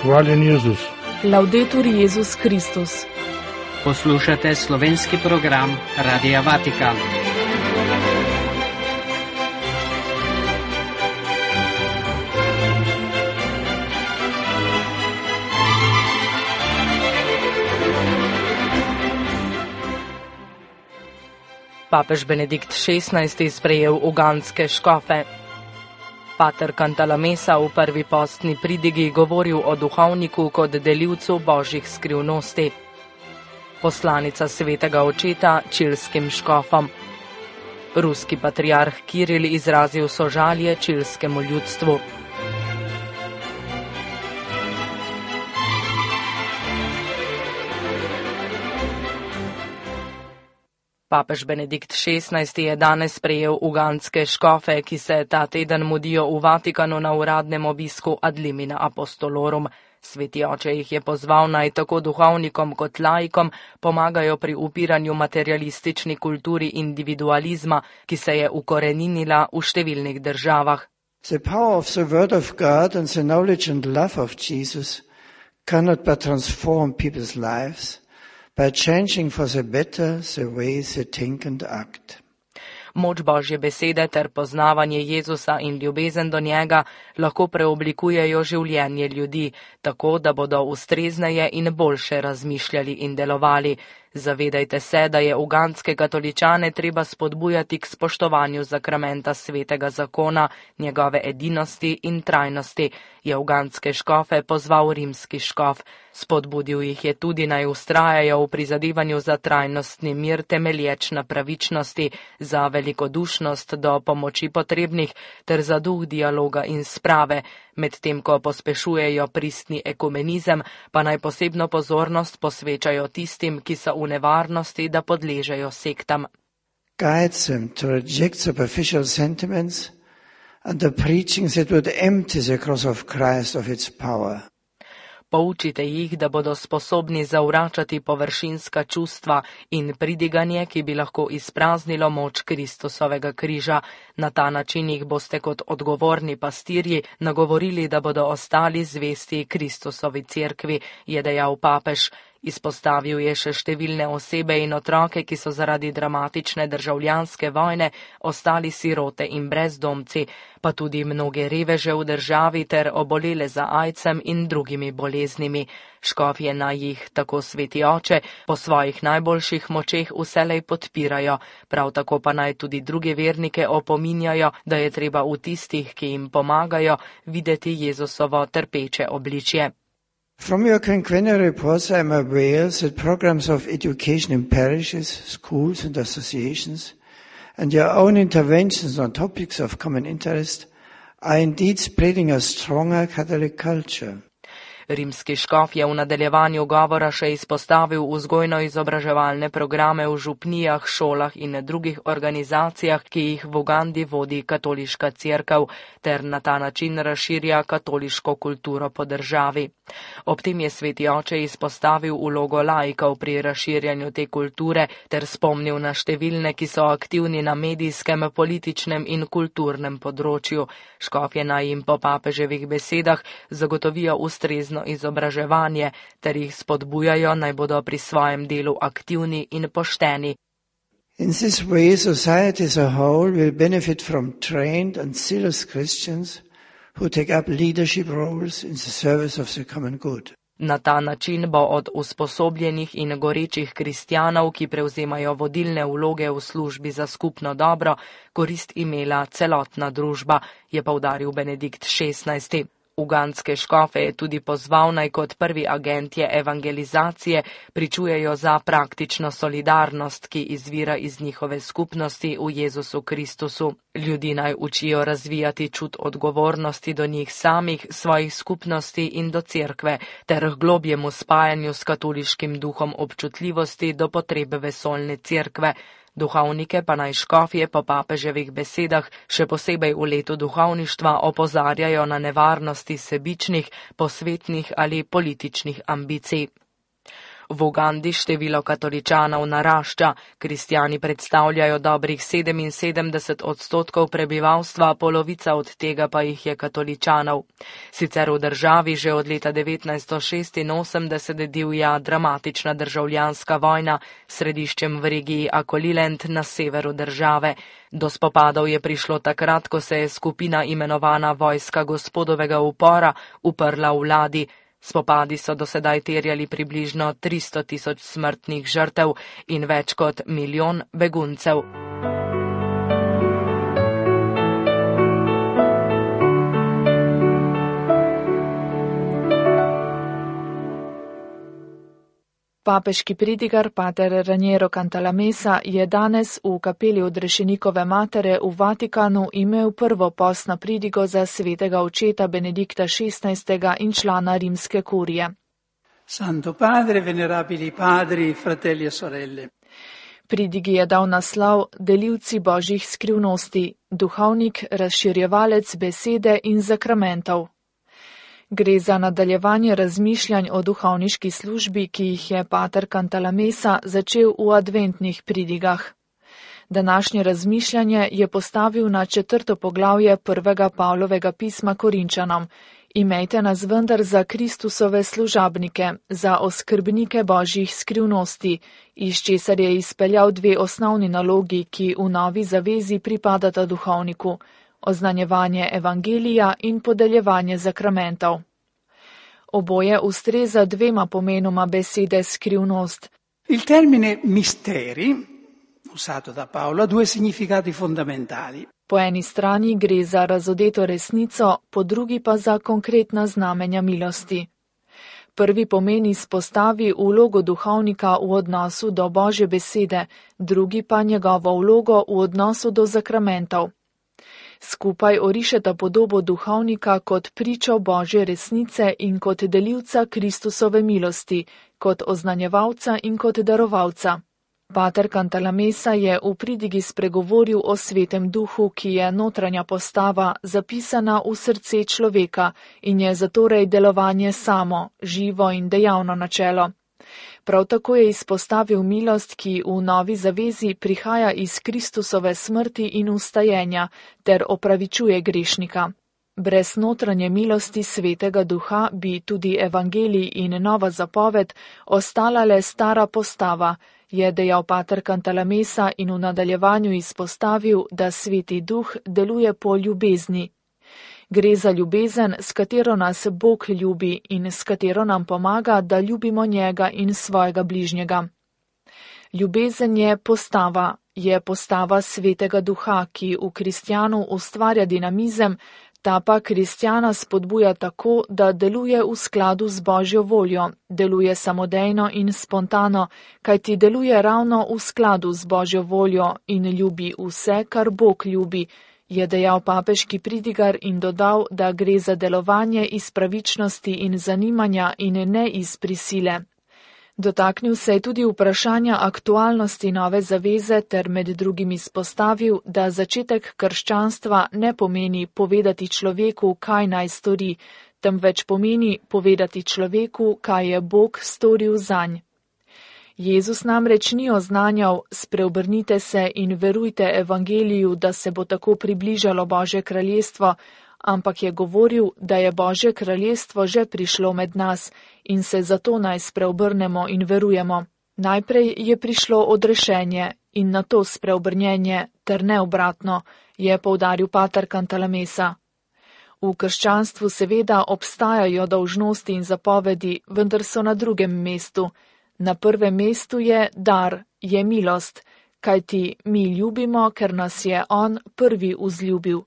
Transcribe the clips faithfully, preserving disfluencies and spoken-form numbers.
Hvaljen Jezus. Laudetur Jezus Kristus. Poslušate slovenski program Radia Vatikan. Papež Benedikt šestnajsti sprejel ugandske škofe. Pater Cantalamessa v prvi postni pridigi govoril o duhovniku kot delivcu božjih skrivnosti. Poslanica svetega očeta čilskim škofom. Ruski patriarh Kiril izrazil sožalje čilskemu ljudstvu. Papež Benedikt šestnajsti je danes sprejel ugandske škofe, ki se ta teden mudijo v Vatikanu na uradnem obisku ad limina apostolorum. Sveti oče jih je pozval naj tako duhovnikom kot laikom pomagajo pri upiranju materialistični kulturi individualizma, ki se je ukoreninila v številnih državah. The power of the word of God and the knowledge and love of Jesus cannot but transform people's lives by changing for the better the way they think and act. Moč Božje besede ter poznavanje Jezusa in ljubezen do njega lahko preoblikujejo življenje ljudi, tako da bodo ustrezneje in boljše razmišljali in delovali. Zavedajte se, da je ugandske katoličane treba spodbujati k spoštovanju zakramenta svetega zakona, njegove edinosti in trajnosti, je ugandske škofe pozval rimski škof. Spodbudil jih je tudi naj ustrajajo v prizadevanju za trajnostni mir temelječ na pravičnosti, za velikodušnost do pomoči potrebnih ter za duh dialoga in sprave, medtem ko pospešujejo pristni ekumenizem, pa naj posebno pozornost posvečajo tistim, ki so v nevarnosti, da podležejo sektam. Guides them to reject superficial sentiments and the preaching that would empty the cross of Christ of its power. Poučite jih, da bodo sposobni zavračati površinska čustva in pridiganje, ki bi lahko izpraznilo moč Kristusovega križa. Na ta način jih boste kot odgovorni pastirji nagovorili, da bodo ostali zvesti Kristusovi cerkvi, je dejal papež. Izpostavil je še številne osebe in otroke, ki so zaradi dramatične državljanske vojne ostali sirote in brezdomci, pa tudi mnoge reveže v državi ter obolele za aidsom in drugimi boleznimi. Škofje naj jih, tako sveti oče, po svojih najboljših močeh vselej podpirajo, prav tako pa naj tudi druge vernike opominjajo, da je treba v tistih, ki jim pomagajo, videti Jezusovo trpeče obličje. From your quinquennial reports, I am aware that programs of education in parishes, schools and associations, and your own interventions on topics of common interest are indeed spreading a stronger Catholic culture. Rimski škof je v nadaljevanju govora še izpostavil vzgojno-izobraževalne programe v župnijah, šolah in drugih organizacijah, ki jih v Ugandi vodi katoliška cerkev, ter na ta način razširja katoliško kulturo po državi. Ob tem je sveti oče izpostavil vlogo laikov pri razširjanju te kulture ter spomnil na številne, ki so aktivni na medijskem, političnem in kulturnem področju. Škofje naj jim po papeževih besedah zagotovijo ustrezno izobraževanje ter jih spodbujajo, naj bodo pri svojem delu aktivni in pošteni. In this way, society as a whole will benefit from trained and zealous Christians who take up leadership roles in the service of the common good. Na ta način bo od usposobljenih in gorečih kristjanov, ki prevzemajo vodilne vloge v službi za skupno dobro, korist imela celotna družba, je poudaril Benedikt šestnajsti. Ugandske škofe je tudi pozval naj kot prvi agentje evangelizacije pričujejo za praktično solidarnost, ki izvira iz njihove skupnosti v Jezusu Kristusu. Ljudi naj učijo razvijati čut odgovornosti do njih samih, svojih skupnosti in do cerkve, ter k globjemu spajanju s katoliškim duhom občutljivosti do potrebe vesoljne cerkve. Duhovnike pa naj škofje po papeževih besedah še posebej v letu duhovništva opozarjajo na nevarnosti sebičnih, posvetnih ali političnih ambicij. V Ugandi število katoličanov narašča, kristjani predstavljajo dobrih sedeminsedemdeset odstotkov prebivalstva, polovica od tega pa jih je katoličanov. Sicer v državi že od leta devetnajststo šestinosemdeset divja dramatična državljanska vojna s središčem v regiji Akoliland na severu države. Do spopadov je prišlo takrat, ko se je skupina imenovana Vojska gospodovega upora uprla vladi. Spopadi so dosedaj terjali približno tristo tisoč smrtnih žrtev in več kot milijon beguncev. Papeški pridigar pater Raniero Cantalamessa je danes v kapeli Odrešenikove matere v Vatikanu imel prvo postno pridigo za svetega očeta Benedikta šestnajstega in člana rimske kurije. Santo Padre, venerabili padri, fratelli e sorelle. Pridigi je dal naslov Delilci božjih skrivnosti, duhovnik, razširjevalec besede in zakramentov. Gre za nadaljevanje razmišljanj o duhovniški službi, ki jih je pater Cantalamessa začel v adventnih pridigah. Današnje razmišljanje je postavil na četrto poglavje prvega Pavlovega pisma Korinčanom. Imejte nas vendar za Kristusove služabnike, za oskrbnike božjih skrivnosti, iz česar je izpeljal dve osnovni nalogi, ki v novi zavezi pripadata duhovniku. Oznanjevanje evangelija in podeljevanje zakramentov. Oboje ustreza dvema pomenoma besede skrivnost. Il termine misteri, usato da Paolo, ha due significati fondamentali. Po eni strani gre za razodeto resnico, po drugi pa za konkretna znamenja milosti. Prvi pomen izpostavi vlogo duhovnika v odnosu do Božje besede, drugi pa njegovo vlogo v odnosu do zakramentov. Skupaj orišeta podobo duhovnika kot pričo Božje resnice in kot delilca Kristusove milosti, kot oznanjevalca in kot darovalca. Pater Cantalamessa je v pridigi spregovoril o svetem duhu, ki je notranja postava, zapisana v srce človeka in je zatorej delovanje samo, živo in dejavno načelo. Prav tako je izpostavil milost, ki v novi zavezi prihaja iz Kristusove smrti in ustajenja ter opravičuje grešnika. Brez notranje milosti svetega duha bi tudi evangelij in nova zapoved ostala le stara postava, je dejal pater Cantalamessa in v nadaljevanju izpostavil, da sveti duh deluje po ljubezni. Gre za ljubezen, s katero nas Bog ljubi in s katero nam pomaga, da ljubimo njega in svojega bližnjega. Ljubezen je postava, je postava svetega duha, ki v kristjanu ustvarja dinamizem, ta pa kristjana spodbuja tako, da deluje v skladu z Božjo voljo, deluje samodejno in spontano, kajti deluje ravno v skladu z Božjo voljo in ljubi vse, kar Bog ljubi, je dejal papeški pridigar in dodal, da gre za delovanje iz pravičnosti in zanimanja in ne iz prisile. Dotaknil se je tudi vprašanja aktualnosti nove zaveze ter med drugim izpostavil, da začetek krščanstva ne pomeni povedati človeku, kaj naj stori, temveč pomeni povedati človeku, kaj je Bog storil zanj. Jezus namreč ni oznanjal, spreobrnite se in verujte evangeliju, da se bo tako približalo Božje kraljestvo, ampak je govoril, da je Božje kraljestvo že prišlo med nas in se zato naj spreobrnemo in verujemo. Najprej je prišlo odrešenje in nato spreobrnjenje, ter ne obratno, je poudaril pater Cantalamessa. V krščanstvu seveda obstajajo dolžnosti in zapovedi, vendar so na drugem mestu. Na prvem mestu je dar, je milost, kajti mi ljubimo, ker nas je On prvi vzljubil.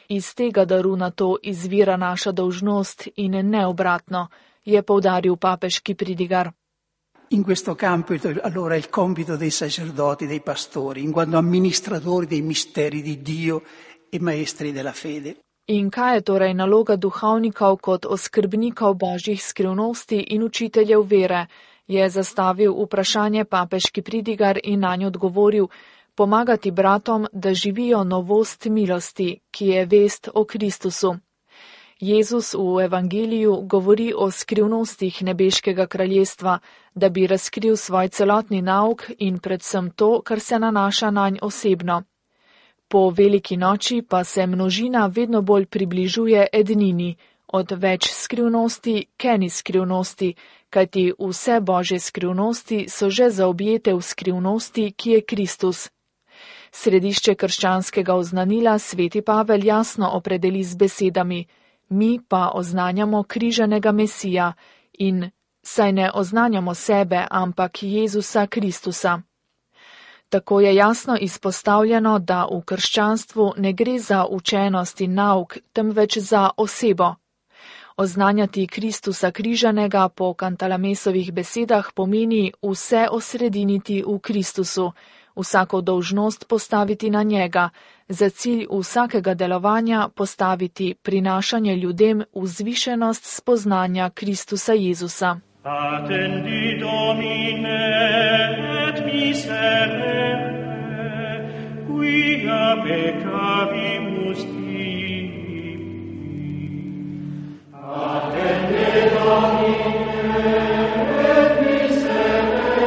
Iz tega daru na to izvira naša dolžnost in ne obratno, je poudaril papeški pridigar. In questo campo allora il compito dei sacerdoti, dei pastori, in quanto amministratori dei misteri di Dio e maestri della fede. In kaj je torej naloga duhovnikov kot oskrbnikov božjih skrivnosti in učiteljev vere, je zastavil vprašanje papeški pridigar in nanj odgovoril, pomagati bratom, da živijo novost milosti, ki je vest o Kristusu. Jezus v evangeliju govori o skrivnostih nebeškega kraljestva, da bi razkril svoj celotni nauk in predvsem to, kar se nanaša nanj osebno. Po veliki noči pa se množina vedno bolj približuje ednini, od več skrivnosti k eni skrivnosti, kajti vse božje skrivnosti so že zaobjete v skrivnosti, ki je Kristus. Središče krščanskega oznanila sveti Pavel jasno opredeli z besedami: mi pa oznanjamo križanega Mesija in saj ne oznanjamo sebe, ampak Jezusa Kristusa. Tako je jasno izpostavljeno, da v krščanstvu ne gre za učenost in nauk, temveč za osebo. Oznanjati Kristusa križanega po Kantalamesovih besedah pomeni vse osrediniti v Kristusu, vsako dolžnost postaviti na njega, za cilj vsakega delovanja postaviti prinašanje ljudem vzvišenost spoznanja Kristusa Jezusa. Attendi Domine et miserere, quia peccavimus tibi. Attendi Domine et miserere,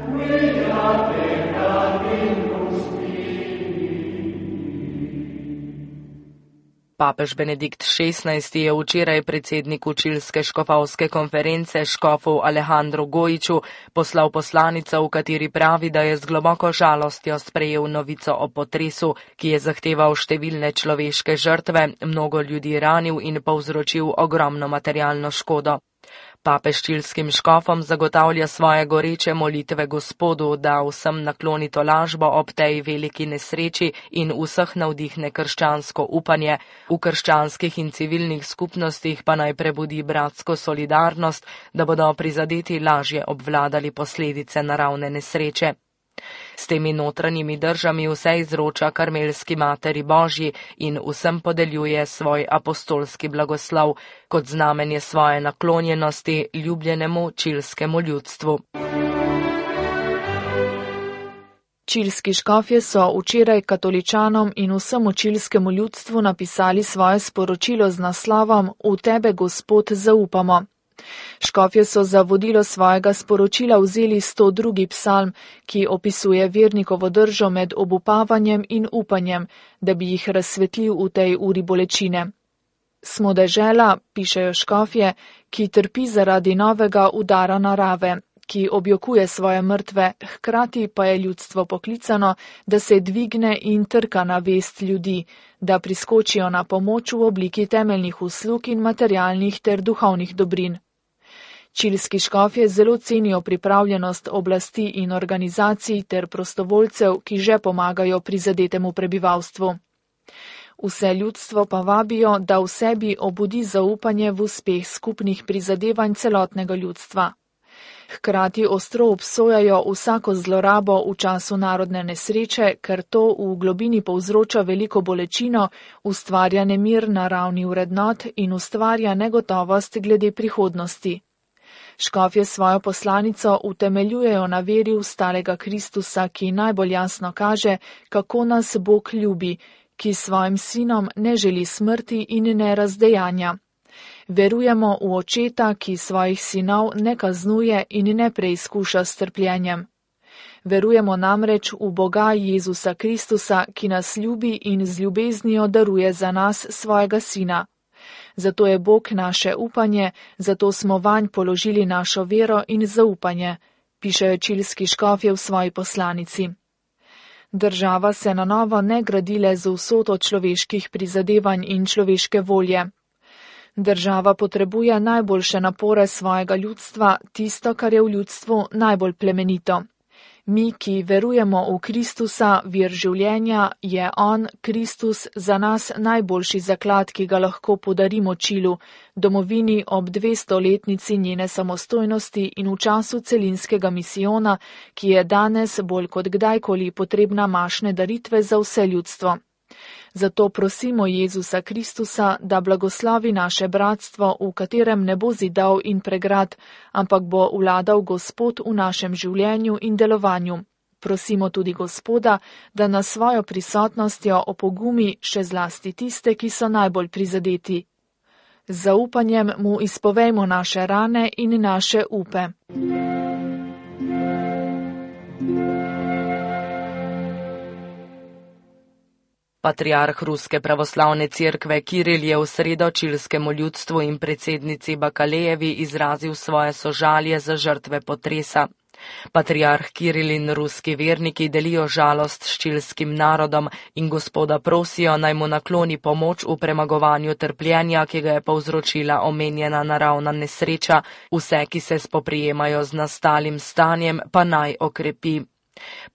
quia peccavimus Papež Benedikt šestnajsti je včeraj predsedniku čilske škofovske konference škofu Alejandru Gojiću poslal poslanico, v kateri pravi, da je z globoko žalostjo sprejel novico o potresu, ki je zahteval številne človeške žrtve, mnogo ljudi ranil in povzročil ogromno materialno škodo. Papež čilskim škofom zagotavlja svoje goreče molitve Gospodu, da vsem nakloni tolažbo ob tej veliki nesreči in vseh navdihne krščansko upanje, v krščanskih in civilnih skupnostih pa naj prebudi bratsko solidarnost, da bodo prizadeti lažje obvladali posledice naravne nesreče. S temi notranjimi držami vse izroča Karmelski Materi Božji in vsem podeljuje svoj apostolski blagoslov kot znamenje svoje naklonjenosti ljubljenemu čilskemu ljudstvu. Čilski škofje so včeraj katoličanom in vsemu čilskemu ljudstvu napisali svoje sporočilo z naslovom V tebe, Gospod, zaupamo. Škofje so za vodilo svojega sporočila vzeli sto drugi psalm, ki opisuje vernikovo držo med obupavanjem in upanjem, da bi jih razsvetlil v tej uri bolečine. Smo dežela, pišejo škofje, ki trpi zaradi novega udara narave, ki objokuje svoje mrtve, hkrati pa je ljudstvo poklicano, da se dvigne in trka na vest ljudi, da priskočijo na pomoč v obliki temeljnih uslug in materialnih ter duhovnih dobrin. Čilski škofje zelo cenijo pripravljenost oblasti in organizacij ter prostovoljcev, ki že pomagajo prizadetemu prebivalstvu. Vse ljudstvo pa vabijo, da v sebi obudi zaupanje v uspeh skupnih prizadevanj celotnega ljudstva. Hkrati ostro obsojajo vsako zlorabo v času narodne nesreče, ker to v globini povzroča veliko bolečino, ustvarja nemir na ravni vrednot in ustvarja negotovost glede prihodnosti. Škofje svojo poslanico utemeljujejo na veri v starega Kristusa, ki najbolj jasno kaže, kako nas Bog ljubi, ki svojim sinom ne želi smrti in ne razdejanja. Verujemo v očeta, ki svojih sinov ne kaznuje in ne preizkuša s trpljenjem. Verujemo namreč v Boga Jezusa Kristusa, ki nas ljubi in z ljubeznijo daruje za nas svojega sina. Zato je Bog naše upanje, zato smo vanj položili našo vero in zaupanje, pišejo čilski škofje v svoji poslanici. Država se na novo ne gradi le z vsoto človeških prizadevanj in človeške volje. Država potrebuje najboljše napore svojega ljudstva, tisto, kar je v ljudstvu najbolj plemenito. Mi, ki verujemo v Kristusa, vir življenja, je On, Kristus, za nas najboljši zaklad, ki ga lahko podarimo Čilu, domovini ob dvestoletnici njene samostojnosti in v času celinskega misijona, ki je danes bolj kot kdajkoli potrebna mašne daritve za vse ljudstvo. Zato prosimo Jezusa Kristusa, da blagoslovi naše bratstvo, v katerem ne bo zidov in pregrad, ampak bo vladal Gospod v našem življenju in delovanju. Prosimo tudi Gospoda, da nas svojo prisotnostjo opogumi še zlasti tiste, ki so najbolj prizadeti. Z zaupanjem mu izpovejmo naše rane in naše upe. Patriarh Ruske pravoslavne cerkve Kiril je v sredo čilskemu ljudstvu in predsednici Bakalejevi izrazil svoje sožalje za žrtve potresa. Patriarh Kiril in ruski verniki delijo žalost s čilskim narodom in Gospoda prosijo, naj mu nakloni pomoč v premagovanju trpljenja, ki ga je povzročila omenjena naravna nesreča, vse, ki se spoprijemajo z nastalim stanjem, pa naj okrepi.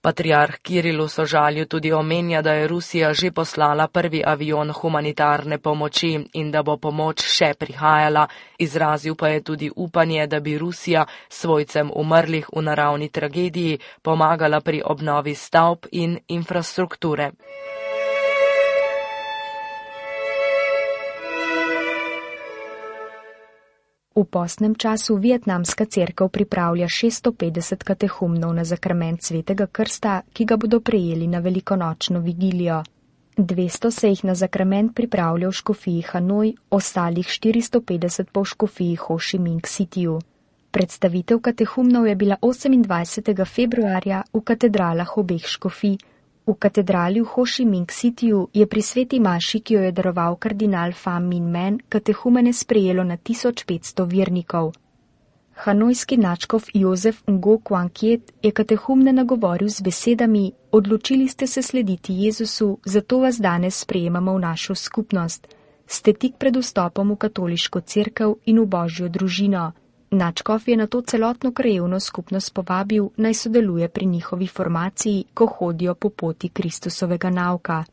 Patriarh Kiril v sožalju tudi omenja, da je Rusija že poslala prvi avion humanitarne pomoči in da bo pomoč še prihajala. Izrazil pa je tudi upanje, da bi Rusija svojcem umrlih v naravni tragediji pomagala pri obnovi stavb in infrastrukture. V postnem času vietnamska cerkev pripravlja šeststo petdeset katehumnov na zakrament svetega krsta, ki ga bodo prejeli na velikonočno vigilijo. dvesto se jih na zakrament pripravlja v škofiji Hanoj, ostalih štiristo petdeset pa v škofiji Ho Chi Minh Cityju. Predstavitev katehumnov je bila osemindvajsetega februarja v katedralah obeh škofij. V katedrali v Ho Chi Minh Cityju je pri sveti maši, ki jo je daroval kardinal Pham Minh Men, katehumene sprejelo na tisoč petsto vernikov. Hanojski nadškof Jozef Ngo Quang Kiet je katehumne nagovoril z besedami: Odločili ste se slediti Jezusu, zato vas danes sprejemamo v našo skupnost. Ste tik pred vstopom v katoliško cerkev in v Božjo družino. Nadškof je na to celotno krajevno skupnost povabil, naj sodeluje pri njihovi formaciji, ko hodijo po poti Kristusovega nauka.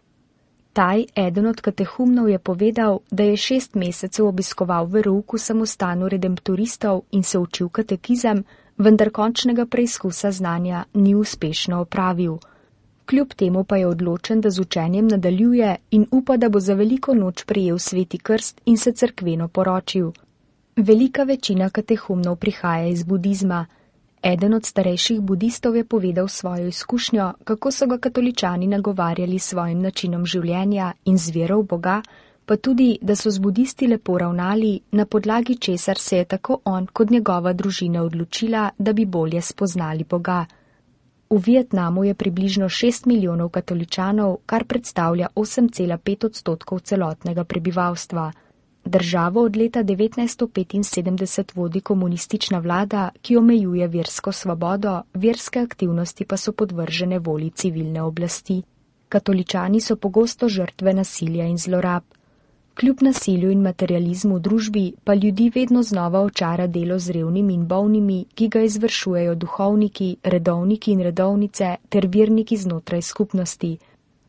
Taj, eden od katehumnov, je povedal, da je šest mesecev obiskoval verouk v samostanu redemptoristov in se učil katekizem, vendar končnega preizkusa znanja ni uspešno opravil. Kljub temu pa je odločen, da z učenjem nadaljuje in upa, da bo za veliko noč prejel sveti krst in se cerkveno poročil. Velika večina katehumnov prihaja iz budizma. Eden od starejših budistov je povedal svojo izkušnjo, kako so ga katoličani nagovarjali s svojim načinom življenja in z vero v Boga, pa tudi, da so z budisti lepo ravnali, na podlagi česar se je tako on kot njegova družina odločila, da bi bolje spoznali Boga. V Vietnamu je približno šest milijonov katoličanov, kar predstavlja osem cela pet odstotkov celotnega prebivalstva. Državo od leta devetnajststo petinsedemdeset vodi komunistična vlada, ki omejuje versko svobodo, verske aktivnosti pa so podvržene volji civilne oblasti. Katoličani so pogosto žrtve nasilja in zlorab. Kljub nasilju in materializmu v družbi pa ljudi vedno znova očara delo z revnimi in bolnimi, ki ga izvršujejo duhovniki, redovniki in redovnice ter verniki znotraj skupnosti.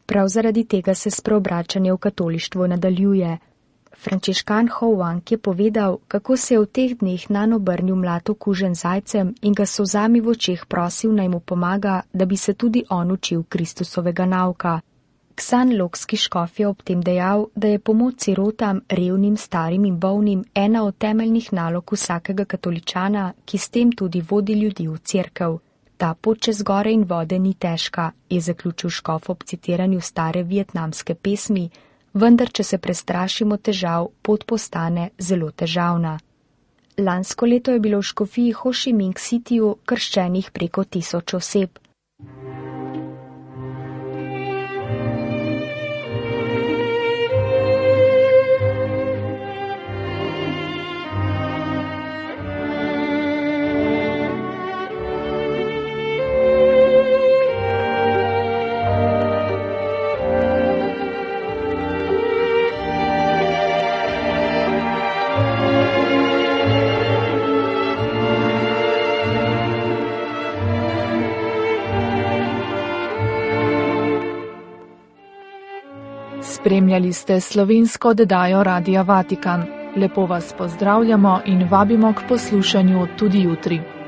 Prav zaradi tega se spreobračanje v katolištvo nadaljuje. Frančiškan Ho Wang je povedal, kako se je v teh dneh nanj obrnil mlad okužen zajcem in ga so solzami v očeh prosil, naj mu pomaga, da bi se tudi on učil Kristusovega nauka. Ksan Lokski škof je ob tem dejal, da je pomoč sirotam, revnim, starim in bolnim ena od temeljnih nalog vsakega katoličana, ki s tem tudi vodi ljudi v cerkev. Ta pot čez gore in vode ni težka, je zaključil škof ob citiranju stare vietnamske pesmi, vendar, če se prestrašimo težav, pot postane zelo težavna. Lansko leto je bilo v škofiji Ho Chi Minh Cityju krščenih preko tisoč oseb. Spremljali ste slovensko oddajo Radia Vatikan. Lepo vas pozdravljamo in vabimo k poslušanju tudi jutri.